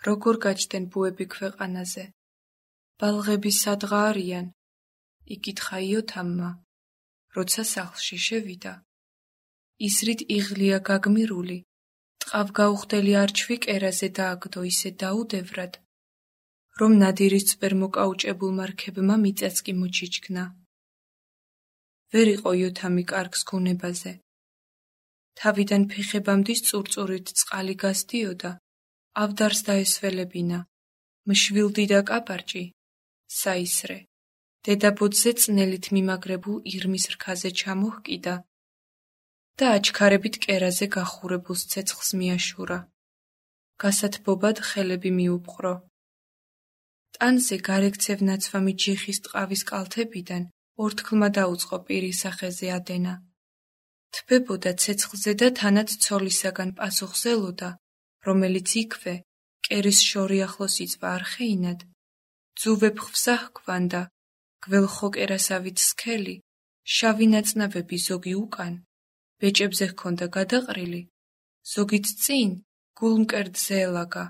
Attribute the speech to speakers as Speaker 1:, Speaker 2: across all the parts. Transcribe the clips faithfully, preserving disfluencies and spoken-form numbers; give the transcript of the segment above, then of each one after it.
Speaker 1: როგორ გაჩნდნენ ბუები ქვეყანაზე? ბალღები სადღა არიან? იკითხა იოთამმა, როცა სახლში შევიდა. ისრით იღლია გაგმირული, ტყავგაუხდელი არჩვი კერაზე დააგდო ისე დაუდევრად, რომ ნადირის წვერ მოკაუჭებულმა რქებმა მიწაც კი მოჩიჩქნა. ვერ იყო იოთამი კარგს გონებაზე. თავიდან ფეხებამდე წურწურით წყალი გასდიოდა, ავდარს დაესველებინა, მშვილდი და კაპარჭი, საისრე, დედაბოძზე წნელით მიმაგრებულ ირმის რქაზე ჩამოჰკიდა და აჩქარებით კერაზე გახურებულ ცეცხლს მიაშურა. გასათბობად ხელები მიუპყრო. ტანზე გარეკცევ ნაცვამი ჯიხის ტყავის კალთებიდან ორთქლმა დაუწყო პირის სახეზე ადენა. თბებოდა ცეცხლზე და თანაც ცოლისაგან პასუხზელოდა, რომელიც იქვე, კერის შორი ახლოს იწვა არხეინად, ძუვეფხვსა ჰქვანდა, გველხოკერასავით სქელი, შავი ნაწნავები ზოგი უკან, ბეჭებზე ჰქონდა გადაყრილი, ზოგიც წინ, გულმკერდზე ელაგა.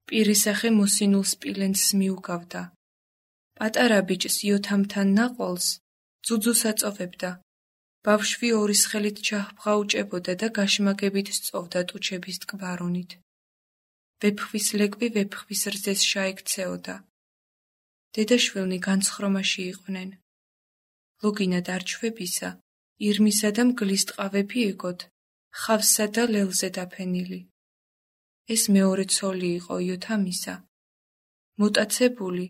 Speaker 1: პირისახე მოსინულ სპილენძს მიუგავდა. პატარა ბიჭს იოთამთან ნაყოლს ძუძუს აწოვებდა. ბავშვი ორის ხელით ჩაჰბღაუჭებოდა და გაშმაგებით სწოვდა ტუჩების ტკბარონით. ვეფხვის ლეკვი ვეფხვის რძეს შაექცეოდა. დედაშვილნი განცხრომაში იყვნენ. ლოგინად არჩვებისა, ირმისა და მგლის ტყავები ეკოთ, ხავსსა და ლელზე დაფენილი. ეს მეორე ცოლი იყო იოთამისა. მოტაცებული,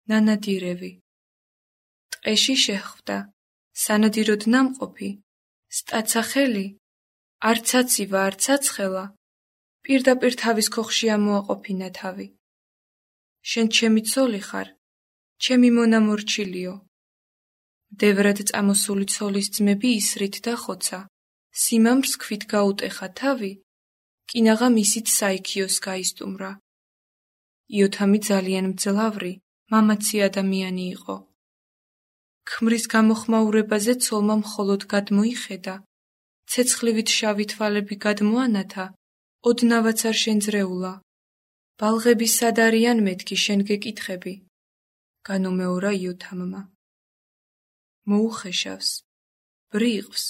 Speaker 1: ნანადირევი. ტყეში შეხვდა, სანადიროდ ნამყოფი, სტაცახელი, არცაცივა არცაცხელა, პირდაპირ თავის ქოხში ამოაყოფინა თავი. შენ ჩემი ცოლი ხარ, ჩემი მონამორჩილიო. მდევრად წამოსული ცოლის ძმები ისრით და ხოცა, სიმამრს ქვით გაუტეხა თავი, კინაღა მისით საიქიოს გაისტუმრა. იოთამი ძალიან მძლავრი, მამაცი ადამიანი იყო. ქმრის გამოხმაურებაზე ცოლმა მხოლოდ გადმოიხედა, ცეცხლივით შავი თვალები გადმოანათა, ოდნავაც არ შენძრეულა. ბალღები სად არიან მეთქი შენ გეკითხები? განუმეორა იოთამმა. მოუხეშავს, ბრიყვს,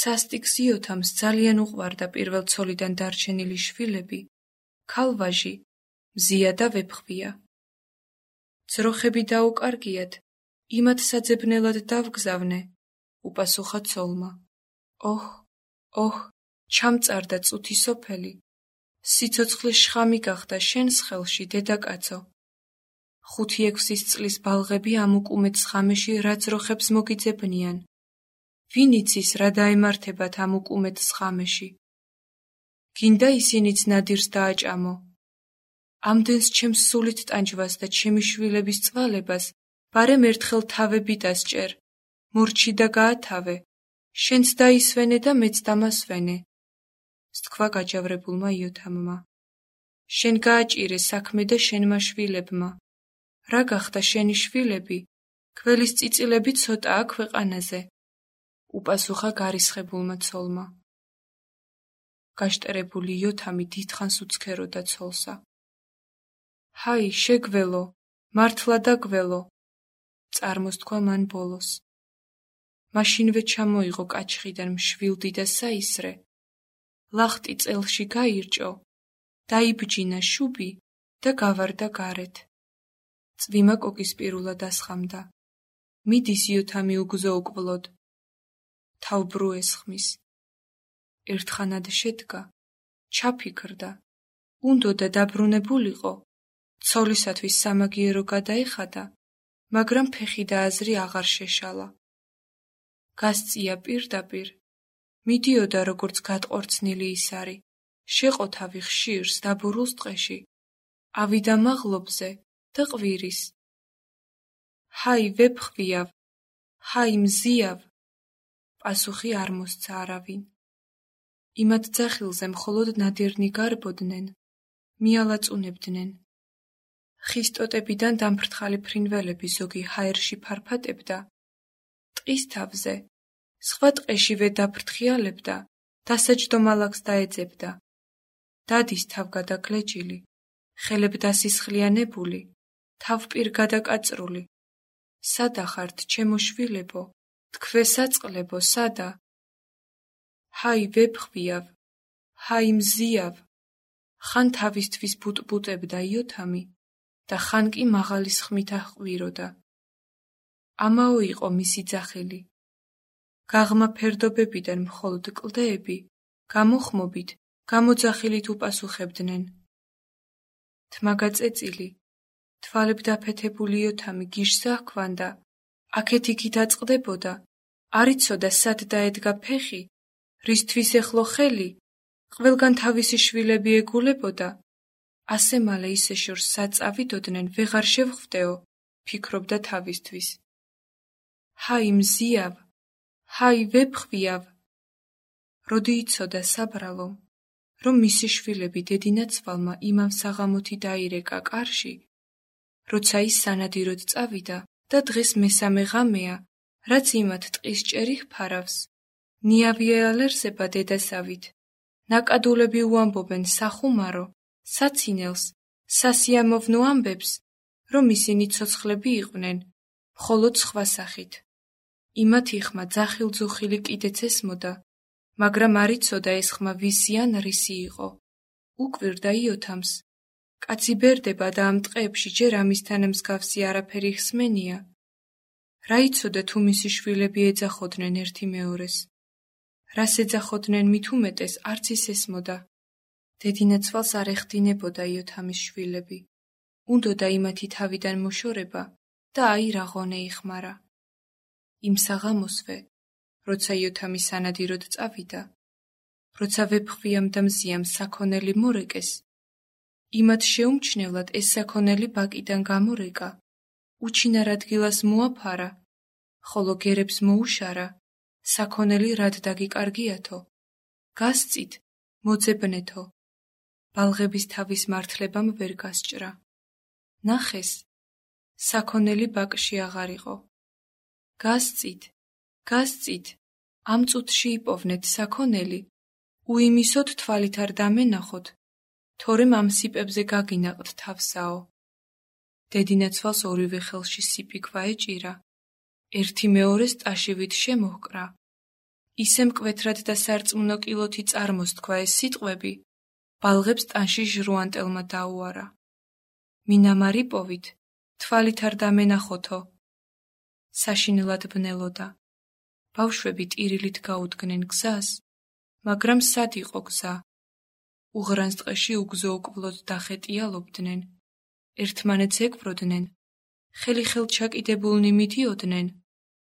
Speaker 1: სასტიკს იოთამს ძალიან უყვარდა პირველ ცოლიდან დარჩენილი შვილები, ქალვაჟი, მზია და ვეფხვია. ძროხები დაუკარგიათ, იმათ საძებნელად დავგზავნე, უპასუხა ცოლმა. ოჰ, ოჰ, ჩამწარდა წუთი სოფელი, სიცოცხლის შხამი გახდა შენს ხელში, დედაკაცო. ხუთი ექვსის წლის ბალღები ამ უკუმეთ სხამეში რა ძროხებს მოგიძებნიან? ვინ იცის რა დაემართებათ ამ უკუმეთ სხამეში? გინდა ისინიც ნადირს დააჭამო. ამდენს ჩემს სულით ტანჯვას და ჩემი შვილების წვალებას, ბარემ ერთხელ თავები დასჭერ, მორჩი და გაათავე, შენც დაისვენე და მეც დამასვენე. სთქვა გაჯავრებულმა იოთამმა. შენ გააჭირე საქმე და შენმა შვილებმა. რა გახდა შენი შვილები? გველის წიწილები ცოტაა ქვეყანაზე. უპასუხა გარისხებულმა ცოლმა. გაშტერებული იოთამი დიდხანს უცქეროდა ცოლსა. ჰაი, შეგველო, მართლა და გველო, წარმოსთქვა მან ბოლოს. მაშინვე ჩამოიღო კაჩხიდან მშვილდი და საისრე, ლახტი წელში გაირჭო, დაიბჯინა შუბი და გავარდა გარეთ. წვიმა კოკისპირულა დასხამდა. მიდის იოთამი უგზო უკვლოდ. თავბრუ ესხმის. ერთხანად შედგა, ჩაფიქრდა, უნდოდა დაბრუნებულიყო, ცოლისათვის სამაგიერო გადაეხადა, მაგრამ ფეხი და აზრი აღარ შეშალა. გასწია პირდაპირ, მიდიოდა როგორც გატყორცნილი ისარი, შეყო თავი ხშირს დაბურულს ტყეში, ავიდა მაღლობზე და ყვირის. ჰაი ვეფხვიავ, ჰაი მზიავ, პასუხი არ მოსცა არავინ. იმათ ძახილზე მხოლოდ ნადირნი გარბოდნენ, მიალაწუნებდნენ. ხის ტოტებიდან დამფრთხალი ფრინველები ზოგი ჰაერში ფარფატებდა. ტყის თავზე, სხვა ტყეშივე დაფრთხიალებდა, დასაჯდომ ალაგს დაეძებდა. დადის თავგადაგლეჯილი, ხელებ დასისხლიანებული, თავპირ გადაკაწრული. სადა ხართ, ჩემო შვილებო, თქვესაწყლებო, სადა? ჰაი ვეფხვიავ, ჰაი მზიავ. ხან თავისთვის ბუტბუტებდა იოთამი და ხან კი მაღალის ხმით აჰყვიროდა. ამაო იყო მისი ძახილი. გაღმა ფერდობებიდან მხოლოდ კლდეები, გამოხმობით, გამოძახილით უპასუხებდნენ. თმაგაწეწილი, თვალებ დაფეთებული იოთამი გიშსა ჰქვანდა, აქეთ-იქით აწყდებოდა, არ იცოდა სად დაედგა ფეხი, რისთვის ეხლო ხელი, ყველგან თავისი შვილები ეგულებოდა. ასე მალე ისე შორს საწავიდოდნენ, ვეღარ შევხვდეო, ფიქრობდა თავისთვის. ჰაი მზიავ, ჰაი ვეფხვიავ. როდი იცოდა საბრალო, რომ მისი შვილები დედინაცვალმა იმამ საღამოთი დაირეკა კარში, როცა ის სანადიროდ წავიდა და დღეს მესამე ღამეა, რაც იმათ ტყის ჭერი ჰფარავს. ნიავიელერსება დედასავით. ნაკადულები უამბობენ სახუმარო, საცინელს, სასიამოვნო ამბებს, რომ ისინი ცოცხლები იყვნენ, მხოლოდ სხვა სახით. იმათი ხმა ძახილ-ძუხილი კიდეც ესმოდა, მაგრამ არ იცოდა ეს ხმა ვისი ან რისი იყო. უკვირდა იოთამს. კაცი ბერდება და ამ ტყეებში ჯერ ამისთან მსგავსი არაფერი ხსმენია. რა იცოდა თუ მისი შვილები ეძახოდნენ ერთი მეორეს. რას ეძახოდნენ მით უმეტეს არც ის ესმოდა. დედინაცვალს არ ეხდინებოდა იოთამის შვილები. უნდოდა იმათი თავიდან მოშორება და აი რა ღონე იხმარა. იმ საღამოსვე, როცა იოთამი სანადიროდ წავიდა, როცა ვეფხვიამ და მზიამ საქონელი მორეკეს, იმათ შეუმჩნევლად ეს საქონელი ბაკიდან გამორეკა, უჩინარ ადგილას მოაფარა, ხოლო გერებს მოუშარა, საქონელი რად დაგიკარგიათო, გასწით, მოძებნეთო, ბალღების თავის მართლებამ ვერ გასჭრა. ნახეს, საქონელი ბაკში აღარ იყო. გასწით, გასწით, ამ წუთში იპოვნეთ საქონელი, უიმისოდ თვალით არ დამენახოთ, თორემ ამ სიპებზე გაგინაყთ თავსაო. დედინაცვალს ორივე ხელში სიპიქვა ეჭირა, ერთი მეორეს ტაშივით შემოჰკრა. ისე მკვეთრად და სარწმუნო კილოთი წარმოსთქვა ეს სიტყვები, ბალღებს ტანში ჟრუანტელმა დაუარა. მინამარი პოვით, თვალით არ დამენახოთო. საშინელად ბნელოდა. ბავშვები ტირილით გაუდგნენ გზას, მაგრამ სად იყო გზა? უღრანს ტყეში უგზო-უკვლოდ დახეტიალობდნენ, ერთმანეთს ეკვროდნენ, ხელი-ხელ ჩაკიდებულნი მიდიოდნენ,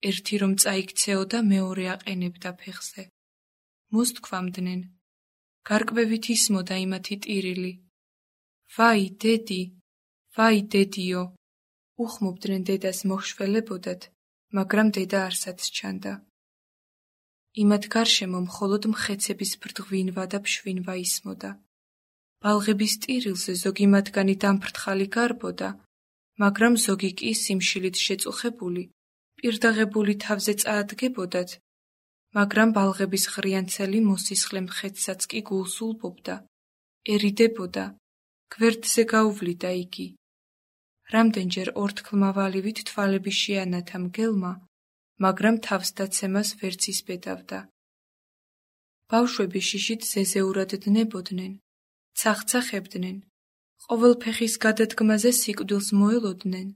Speaker 1: ერთი რომ წაიქცეოდა მეორე აყენებდა ფეხზე. მოსთქვამდნენ, გარკვევით ისმოდა იმათი ტირილი. ვაი, დედი, ვაი, დედიო, უხმობდნენ დედას მოხშველებოდათ, მაგრამ დედა არსად სჩანდა. იმათ გარშემო მხოლოდ მხეცების ბრდღვინვა და ფშვინვა ისმოდა. ბალღების ტირილზე ზოგი მათგანი დამფრთხალი გარბოდა, მაგრამ ზოგი კი სიმშილით შეწუხებული, პირდაღებული თავზე წაადგებოდათ, მაგრამ ბალღების ღრიანცელი მოსისხლე მხეცსაც კი გულს ულბობდა, ერიდებოდა, გვერდზე გაუვლიდა იგი. რამდენჯერ ორთქლმავალივით თვალები შეანათა მგელმა, მაგრამ თავსდაცემას ვერც ისბედავდა. ბავშვები შიშით ზეზეურად დნებოდნენ, ცახცახებდნენ, ყოველ ფეხის გადადგმაზე სიკვდილს მოელოდნენ,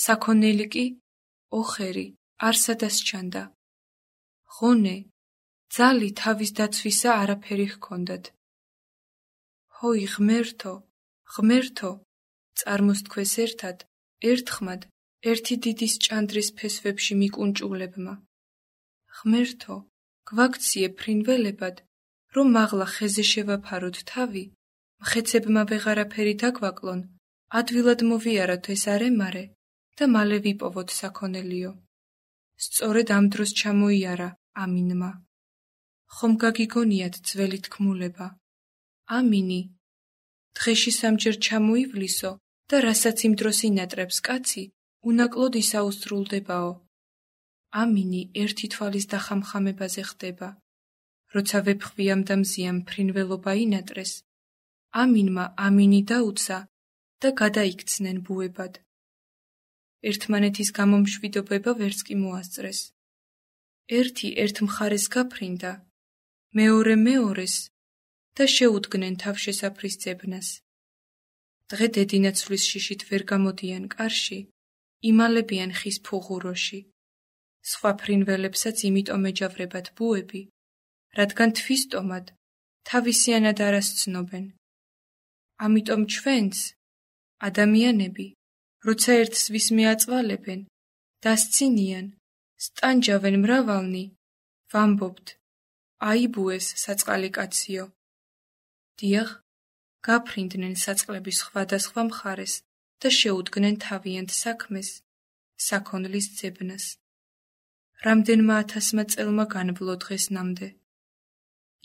Speaker 1: საქონელი კი, ოხერი, არსადას ჩანდა. ღონე, ძალი თავის დაცვისა არაფერი ჰქონდათ. ჰოი ღმერთო, ღმერთო, წარმოსთქვეს ერთად, ერთხმად, ერთი დიდის ჭანდრის ფესვებში მიკუნჭულებმა. ღმერთო, გვაქციე ფრინველებად, რომ მაღლა ხეზე შევაფაროთ თავი, მხეცებმა ვეღარაფერი დაგვაკლონ, ადვილად მოვიაროთ ეს არემარე და მალე ვიპოვოთ საქონელიო. სწორედ ამ დროს ჩამოიარა ამინმა. ხომ გაგიგონიათ ძველი თქმულება. ამინი. დღეში სამჯერ ჩამოივლისო და რასაც იმ დროს ინატრებს კაცი, უნაკლოდ ისაუსრულდებაო. ამინი ერთი თვალის დახამხამებაზე ხდება. როცა ვეფხვიამ და მზიამ ფრინველობა ინატრეს, ამინმა ამინი დაუცა და გადაიქცნენ ბუებად. ერთმანეთის გამომშვიდობება ვერც კი მოასწრეს. ერთი ერთ მხარეს გაფრინდა, მეორე მეორეს და შეუდგნენ თავშესაფრის ძებნას. დღე დედინაცვლის შიშით ვერ გამოდიან კარში, იმალებიან ხის ფუღუროში. სხვა ფრინველებსაც იმიტომ ეჯავრებათ ბუები, რადგან თვისტომად თავისიანად არას ცნობენ. ამიტომ ჩვენც, ადამიანები, როცა ერთს ვის მეაწვალებენ, დასცინიან, სტანჯავენ მრავალნი, ვამბობთ, აი ბუეს საწყალი კაციო. დიახ, გაფრინდნენ საწყლების სხვადასხვა მხარეს და შეუდგნენ თავიანთ საქმეს, საქონლის ძებნას. რამდენმა ათასმა წელმა განვლო დღეს ნამდე.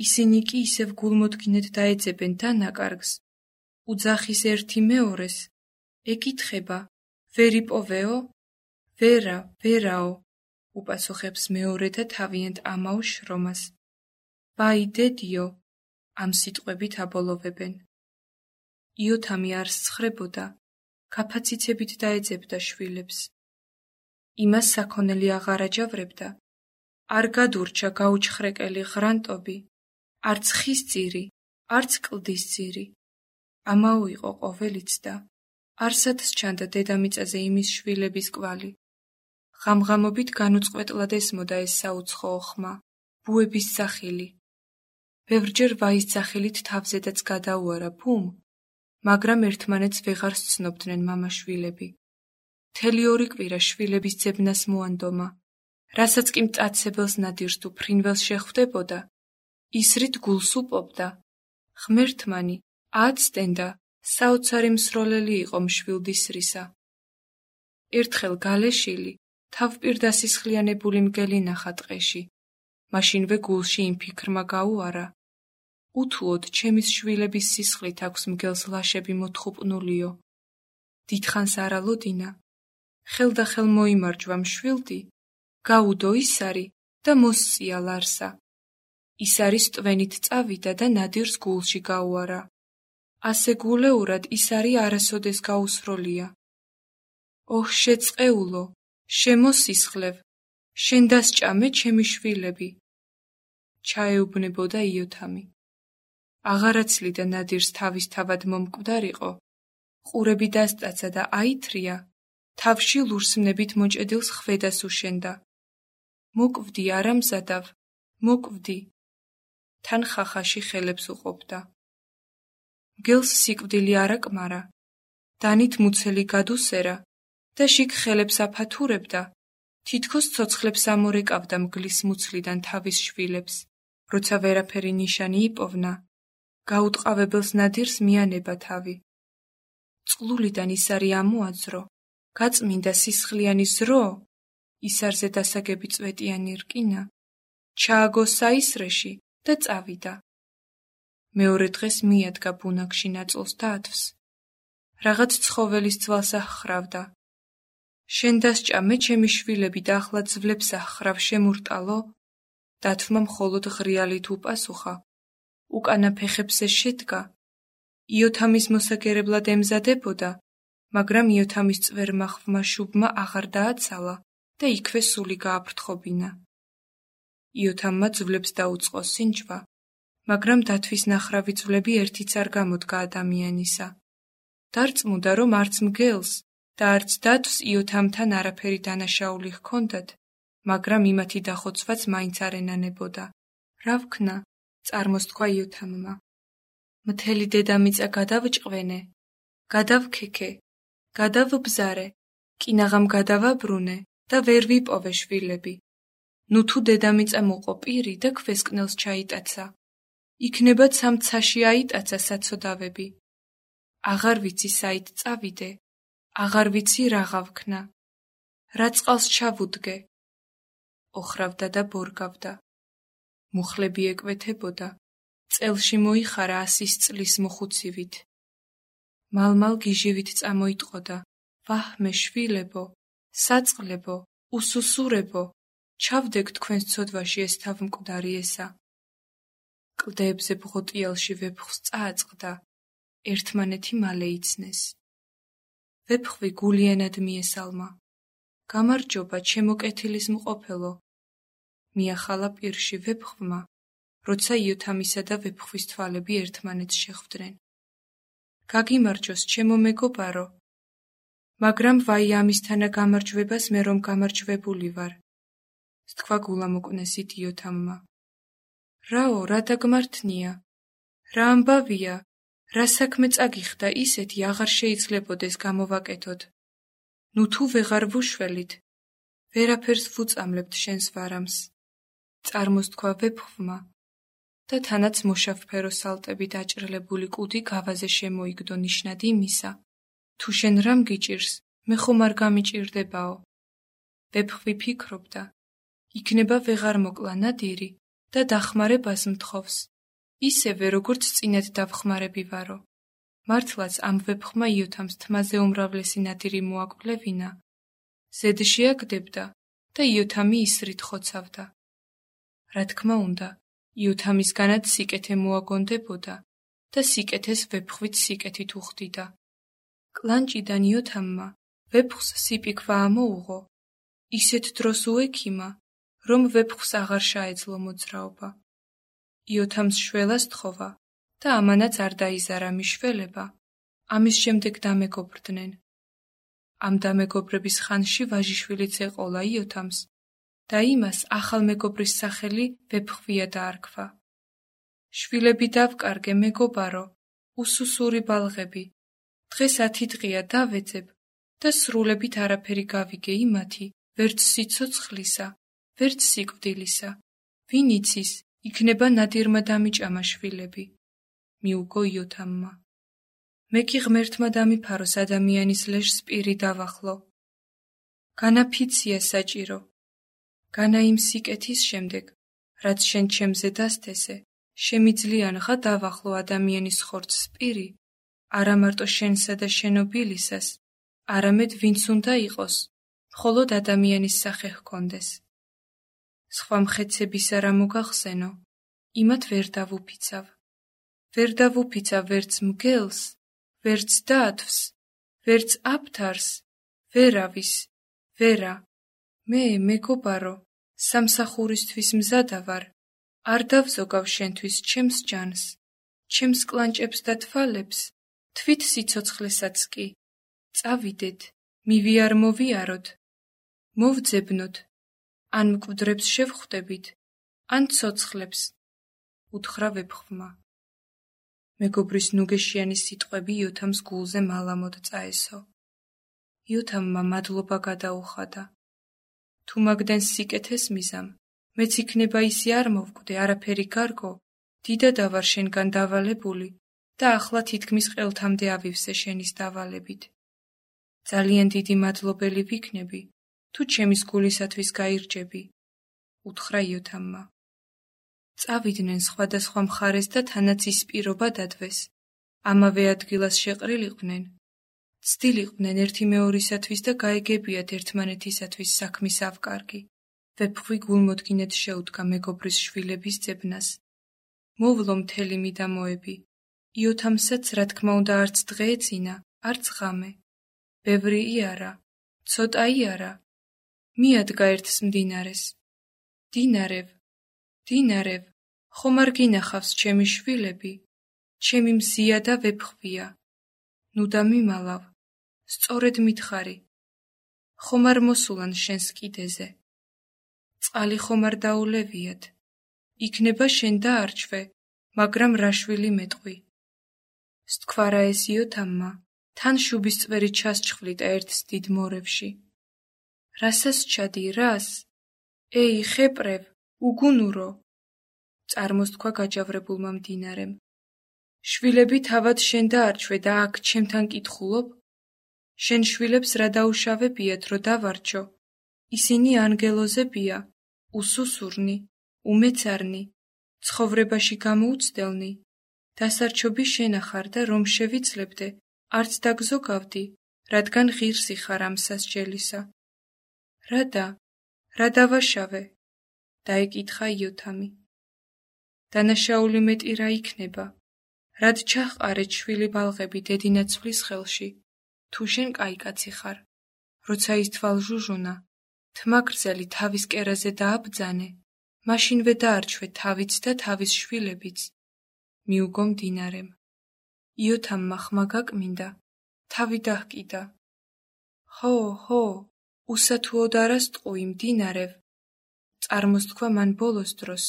Speaker 1: ისინი კი ისევ გულმოდგინედ დაეძებენ დანაკარგს, უძახის ერთი მეორეს, ეკითხება, ვერ იპოვეო? ვერა, ვერაო, უპასუხებს მეორე და თავიანთ ამაო შრომას. ბაი დედიო, ამ სიტყვებით აბოლოვებენ. იოთამი არ სცხრებოდა, ქაფაციცებით დაეძებდა შვილებს. იმას საქონელი აღარ აჯავრებდა, არ გადურჩა გაუჩხრეკელი ღრანტობი, არც ხის ძირი, არც კლდის ძირი. ამაო იყო ყოველიც და არსად სჩანდა დედამიწაზე იმის შვილების კვალი. ღამღამობით განუწყვეტლად ესმოდა ეს საუცხოო ხმა, ბუების სახილი. ბევრჯერ ვაის სახილით თავზედაც გადაუარა ბუმ, მაგრამ ერთმანეთს ვეღარ სცნობდნენ მამა-შვილები. მთელი ორი კვირა შვილების ძებნას მოანდომა, რასაც კი მტაცებელს ნადირს თუ ფრინველს შეხვდებოდა, ისრით გულს უპობდა. ღმერთმანი აცდენდა, საოცარი მსროლელი იყო მშვილდისრისა. ერთხელ გალეშილი თავპირდასისხლიანებული მგელი ნახა ტყეში. მაშინვე გულში იმ ფიქრმა გაუარა, უთუოდ ჩემის შვილების სისხლით აქვს მგელს ლაშები მოთხუპნულიო. დიდხანს არ ალოდინა, ხელდახელ მოიმარჯვა მშვილდი, გაუდო ისარი და მოსწია ლარსა. ისარის ტვენით წავიდა და ნადირს გულში გაუარა. ასე გულეურად ისარი არასოდეს გაუსროლია. ოჰ შეწყეულო, შემოსისხლევ, შენ დასჭამე ჩემი შვილები. ჩაეუბნებოდა იოთამი. აღარაცლიდა ნადირს თავის თავად მომკვდარიყო, ყურები დასტაცა და აითრია, თავში ლურსმნებით მოჭედილს ხვედას უშენდა. მოკვდი არა მზადავ, მოკვდი. თან ხახაში ხელებს უყოფდა. მგელს სიკვდილი არ აკმარა, დანით მუცელი გადუსერა და შიგ ხელებს აფათურებდა, თითქოს ცოცხლებს ამორეკავდა მგლის მუცლიდან თავის შვილებს, როცა ვერაფერი ნიშანი იპოვნა, გაუტყავებელს ნადირს მიანება თავი. წყლულიდან ისარი ამოაძრო, გაწმინდა სისხლიანი ზრო, ისარზე დასაგები წვეტიანი რკინა, ჩააგო საისრეში და წავიდა. მეორე დღეს მიადგა ბუნაგში ნაწოლს დათვს. რაღაც ცხოველის ძვალს აჰხრავდა. შენ დასჭამე ჩემი შვილები და ახლა ძვლებს აჰხრავ შემურტალო? დათვმა მხოლოდ ღრიალით უპასუხა. უკანა ფეხებზე შედგა. იოთამის მოსაგერებლად ემზადებოდა, მაგრამ იოთამის წვერმა ხვმა შუბმა აღარ დააცალა და იქვე სული გააფრთხობინა. იოთამმა ძვლებს დაუწყო სინჯვა, მაგრამ დათვის ნახრავი ძვლები ერთიც არ გამოდგა ადამიანისა. დარწმუნდა, რომ არც მგელს და არც დათვს იოთამთან არაფერი დანაშაული ჰქონდათ, მაგრამ იმათი დახოცვაც მაინც არ ენანებოდა. რა ვქნა? წარმოსთქვა იოთამმა. მთელი დედამიწა გადავჭყვენე, გადავქექე, გადავბზარე, კინაღამ გადავაბრუნე და ვერ ვიპოვე შვილები. ნუ თუ დედამიწა მოყო პირი და ქვესკნელს ჩაიტაცა. იქნება ცამცაში აიტაცა საცოდავები. აღარ ვიცი საით წავიდე, აღარ ვიცი რაღა ვქნა. რა წყალს ჩავუდგე. ოხრავდა და ბორგავდა. მუხლები ეკვეთებოდა, წელში მოიხარა ასის წლის მოხუცივით. მალმალ გიჟივით წამოიტყოდა, ვაჰმე შვილებო, საწყლებო, უსუსურებო, ჩავდეკ თქვენს ცოდვაში ეს თავმკვდარი ესა. კლდეებზე ბღოტიალში ვეფხვს წააწყდა, ერთმანეთი მალე იცნეს. ვეფხვი გულიანად მიესალმა. გამარჯობა, ჩემო კეთილის მყოფელო. მიახალა პირში ვეფხვმა, როცა იოთამისა და ვეფხვის თვალები ერთმანეთს შეხვდნენ. გაგიმარჯოს, ჩემო მეგობარო. მაგრამ ვაი ამისთანა გამარჯვებას მე რომ გამარჯვებული ვარ. თქვა გულამოკნესით იოთამმა. რაო, რა დაგმართნია? რა ამბავია? რა საქმე წაგიხდა ისეთი აღარ შეიძლებოდეს გამოვაკეთოთ. ნუ თუ ვეღარ ვუშველით, ვერაფერს ვუწამლებთ შენს ვარამს. წარმოსთქვა ვეფხვმა და თანაც მოშავფერო სალტები დაჭრილებული კუდი გავაზე შემოიგდო ნიშნად იმისა, თუ შენ რამ გიჭირს, მე ხომ არ გამიჭირდებაო. ვეფხვი ფიქრობდა, იქნება ვეღარ მოკლა ნადირი და დახმარებას მთხოვს, ისევე როგორც წინად დავხმარები ვარო. მართლაც ამ ვეფხვმა იოთამს თმაზე უმრავლესი ნადირი მოაკვლევინა, ზედ შეაგდებდა და იოთამი ისრით ხოცავდა. რა თქმა უნდა, იოთამისგანაც სიკეთე მოაგონდებოდა და სიკეთეს ვეფხვით სიკეთით უხდიდა. კლანჭიდან იოთამმა ვეფხვს სიპიქვა ამოუღო, ისეთ დროს უექიმა, რომ ვეფხვს აღარ შეეძლო მოძრაობა. იოთამს შველას თხოვა და ამანაც არ დაიზარა მიშველება, ამის შემდეგ დამეგობრდნენ. ამ დამეგობრების ხანში ვაჟიშვილიც ეყოლა იოთამს და იმას ახალ მეგობრის სახელი ვეფხვია დაარქვა. შვილები დავკარგე მეგობარო, უსუსური ბალღები, დღეს ათი დღეა დავეძებ და სრულებით არაფერი გავიგე იმათი, ვერც სიცოცხლისა, ვერც სიკვდილისა. ვინ იცის, იქნება ნადირმა დამიჭამა შვილები. მიუგო იოთამმა. მე კი ღმერთმა დამიფაროს ადამიანის ლეშს პირი დავახლო. განაფიცია საჭირო. განა იმ სიკეთის შემდეგ, რაც შენ ჩემზე დასთესე, შემიძლიანღა დავახლო ადამიანის ხორცს პირი, არა მარტო შენსა და შენობილისას, არამედ ვინც უნდა იყოს, მხოლოდ ადამიანის სახე ჰქონდეს. სხვა მხეცებისა რა მოგახსენო, იმათ ვერ დავუფიცავ. ვერ დავუფიცავ ვერც მგელს, ვერც დათვს, ვერც აფთარს, ვერავის, ვერა. მე, მეგობარო, სამსახურისთვის მზადა ვარ, არ დავზოგავ შენთვის ჩემს ჯანს, ჩემს კლანჭებს და თვალებს, თვით სიცოცხლესაც კი. წავიდეთ, მივიარ მოვიაროთ, მოვძებნოთ, ან მკვდრებს შევხვდებით, ან ცოცხლებს, უთხრა ვეფხვმა. მეგობრის ნუგეშიანი სიტყვები იოთამს გულზე მალამოდ წაესო. იოთამმა მადლობა გადაუხადა. თუ მაგდენს სიკეთეს მიზამ, მეც იქნება ისი არ მოვკვდე არაფერი გარგო, დიდადა ვარ შენგან დავალებული და ახლა თითქმის ყელთამდე ავივსე შენის დავალებით. ძალიან დიდი მადლობელი ვიქნები, თუ ჩემის გულისათვის გაირჯები, უთხრა იოთამმა. წავიდნენ სხვადასხვა მხარეს და თანაც ის პირობა დადვეს. ამავე ადგილას შეყრილიყვნენ. ცდილიყვნენ ერთი მეორისათვის და გაეგებიათ ერთმანეთისათვის საქმის ავკარგი. ვეფხვი გულმოდგინედ შეუდგა მეგობრის შვილების ძებნას. მოვლო მთელი მიდამოები. იოთამსაც რა თქმა უნდა არც დღე ეძინა, არც ღამე. ბევრი იარა, ცოტა იარა. მიადგა ერთს მდინარეს. დინარევ, დინარევ, ხომ არ გინახავს ჩემი შვილები? ჩემი მზია და ვეფხვია. ნუ და მიმალავ, სწორედ მითხარი. ხომ არ მოსულან შენს კიდეზე? წყალი ხომ არ დაულევიათ? იქნება შენ დაარჩვე, მაგრამ რა შვილი მეტყვი? სთქვა რა ეს იოთამმა, თან შუბის წვერი ჩასჩხვლიტა ერთს დიდ მორევში. რასას ჩადი, რას? ეი, ხეპრევ, უგუნურო! წარმოსთქვა გაჯავრებულმა მდინარემ. შვილები თავად შენ დაარჩვე და აქ ჩემთან კითხულობ? შენ შვილებს რა დაუშავებიათ, რო დავარჩო? ისინი ანგელოზებია, უსუსურნი, უმეცარნი, ცხოვრებაში გამოუცდელნი. დასარჩობი შენახარ და რომ შევიცლებდე, არც დაგზოგავდი, რადგან ღირსი ხარ ამ სასჯელისა. რადა, რა დავაშავე? დაეკითხა იოთამი. დანაშაული მეტი რა იქნება? რად ჩაჰყარეთ შვილი ბალღები დედინაცვლის ხელში? თუ შენ კაი კაცი ხარ. როცა ის თვალჟუჟუნა, თმა გრძელი თავის კერაზე დააბძანე, მაშინვე დაარჩვე თავიც და თავის შვილებიც. მიუგო მდინარემ. იოთამმა ხმა გაკმინდა, თავი დაჰკიდა. ხო, ხო, უსათუოდ არას ტყუი მდინარევ. წარმოსთქვა მან ბოლოს დროს.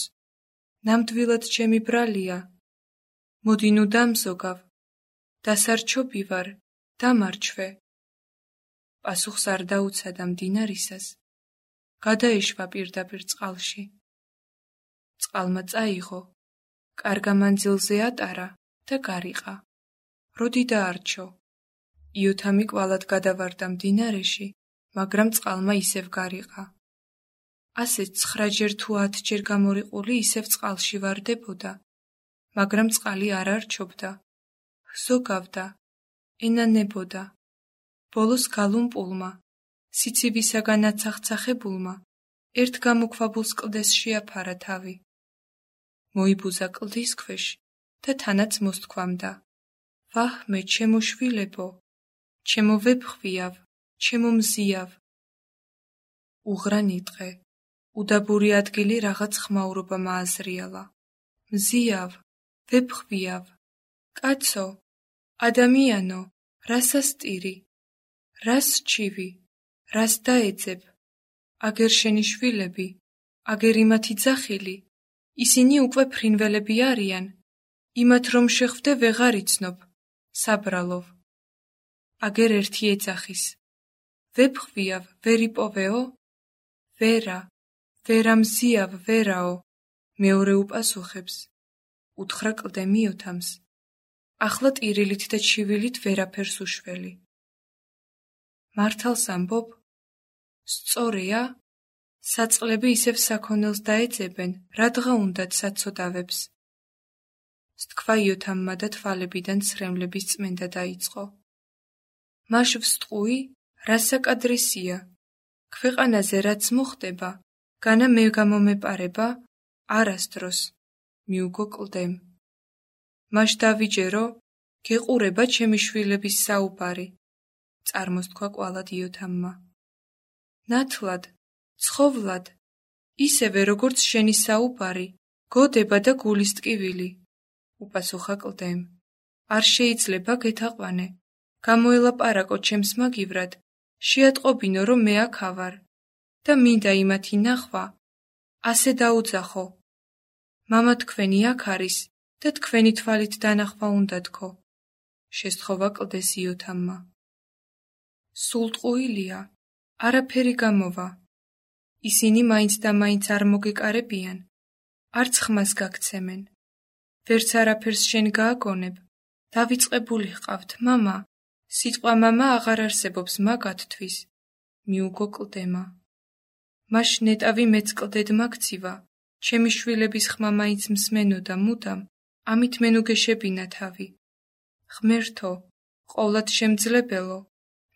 Speaker 1: ნამდვილად ჩემი ბრალია. მოდი ნუ დამზოგავ. დასარჩობი ვარ, დამარჩვე. პასუხს არ დაუცადა მდინარისას. გადაეშვა პირდაპირ წყალში. წყალმა წაიღო, კარგა მანძილზე ატარა და გარიყა. როდი დაარჩო. იოთამი კვალად გადავარდა მდინარეში, მაგრამ წყალმა ისევ გარიყა. ასე ცხრაჯერ თუ ათჯერ გამორიყული ისევ წყალში ვარდებოდა, მაგრამ წყალი არ არჩობდა. ზოგავდა, ენანებოდა. ბოლოს გალუმპულმა, სიცივისაგან აცახცახებულმა, ერთ გამოქვაბულს კლდეს შეაფარა თავი. მოიბუზა კლდის ქვეშ და თანაც მოსთქვამდა. ვაჰ მე ჩემო შვილებო, ჩემო ვეფხვიავ, ჩემო მზიავ. უღრა ნიტყე, უდაბური ადგილი რაღაც ხმაურობა მააზრიალა. მზიავ, ვეფხვიავ, კაცო, ადამიანო, რას ასტირი, რას სჩივი, რას დაეძებ, აგერ შენი შვილები, აგერ იმათი ძახილი, ისინი უკვე ფრინველები არიან, იმათ რომ შეხვდე ვეღარ იცნობ, საბრალოვ. აგერ ერთი ეძახის, ვეფხვიავ, ვერ იპოვეო? ვერა, ვერა მზიავ, ვერაო, მეორე უპასუხებს. უთხრა კლდემ იოთამს. ახლა ტირილით და ჩივილით ვერაფერს უშველი. მართალს ამბობ? სწორია? საწყლები ისევ საქონელს დაეძებენ, რადგა უნდათ საცოდავებს. სთქვა იოთამმა და თვალებიდან ცრემლების წმენდა დაიწყო. მაშ ვსტყუი, რა საკადრისია? ქვეყანაზე რაც მოხდება, განა მე გამომეპარება? არასდროს, მიუგო კლდემ. მაშ დავიჯერო, გეყურება ჩემი შვილების საუბარი. წარმოსთქვა კვალად იოთამმა. ნათლად, ცხოვლად, ისევე როგორც შენი საუბარი, გოდება და გულის ტკივილი. უპასუხა კლდემ. არ შეიძლება გეთაყვანე. გამოელაპარაკო ჩემს მაგივრად, შეატყობინო რომ მე აქ ავარ და მინდა იმათი ნახვა, ასე დაუძახო. მამა თქვენი აქ არის და თქვენი თვალით დანახვა უნდა თქო. შესთხოვა კლდეს იოთამმა. სულ ტყუილია, არაფერი გამოვა. ისინი მაინც და მაინც არ მოგეკარებიან, არც ხმას გაგცემენ. ვერც არაფერს შენ გააგონებ, დავიწყებული ჰყავთ, მამა. სიტყვა მამა აღარ არსებობს მაგათთვის, მიუგო კლდემა. მაშ ნეტავი მეც კლდედ მაგცივა, ჩემი შვილების ხმა მაინც მსმენოდა მუდამ, ამით მენუგეშებინა თავი. ღმერთო, ყოვლად შემძლებელო,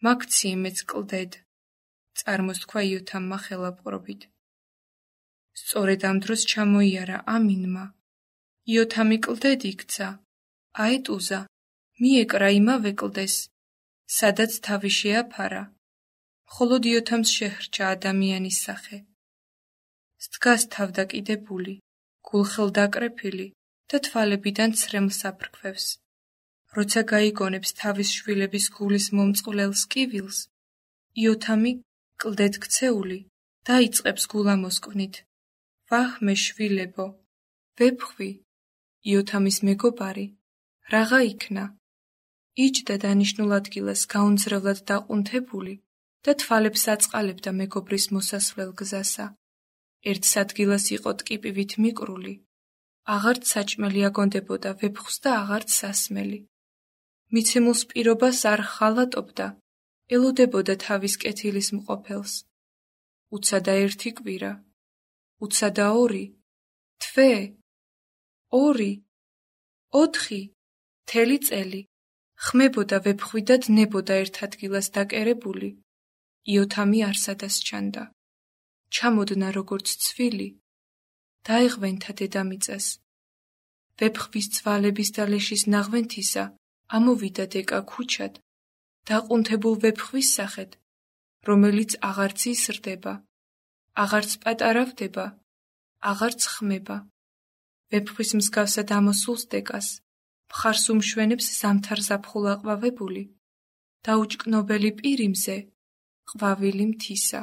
Speaker 1: მაგციე მეც კლდედ. წარმოსთქვა იოთამმა ხელაპყრობით. სწორედ ამ დროს ჩამოიარა ამინმა. იოთამი კლდედ იქცა, აეტუზა, მიეკრა იმავე კლდეს, სადაც თავი შეაფარა. მხოლოდ იოთამს შეჰრჩა ადამიანის სახე. სდგას თავდაკიდებული, გულხელდაკრეფილი და თვალებიდან ცრემლს აფრქვევს. როცა გაიგონებს თავის შვილების გულის მომწყვლელ სკივილს, იოთამი კლდედ ქცეული დაიწყებს გულამოსკვნით. ვაჰ მე შვილებო, ვეფხვი, იოთამის მეგობარი, რაღა იქნა? იჯდა დანიშნულ ადგილას გაუნձრებლად დაყუნთებული და თვალებს აწყალებდა მეგობრის მოსასვლელ გზასა. ერთ სადგილას იყო ტკიპივით მიკრული, აღარც საჭმელი აგონდებოდა ვეფხვს და აღარც სასმელი. მიცემულს პირობას არ ხალატობდა, ელოდებოდა თავის კეთილის მყოფელს. უცადა ერთი კვირა, უცადა ორი, თვე, ორი, ოთხი, მთელი წელი. ხმებოდა ვეფხვი და დნებოდა ერთ ადგილას დაკერებული. იოთამი არსადას ჩანდა. ჩამოდნა როგორც ცვილი, დაეღვენთა დედამიწას. ვეფხვის ცვალების და ლეშის ნაღვენთისა ამოვიდა დეკა ქუჩად დაყუნთებულ ვეფხვის სახედ, რომელიც აღარც იზრდება, აღარც პატარავდება, აღარც ხმება. ვეფხვის მსგავსად ამოსულს დეგას, მხარს უმშვენებს ზამთარ-ზაფხულ აყვავებული, დაუჭკნობელი პირი მზე, ყვავილი მთისა.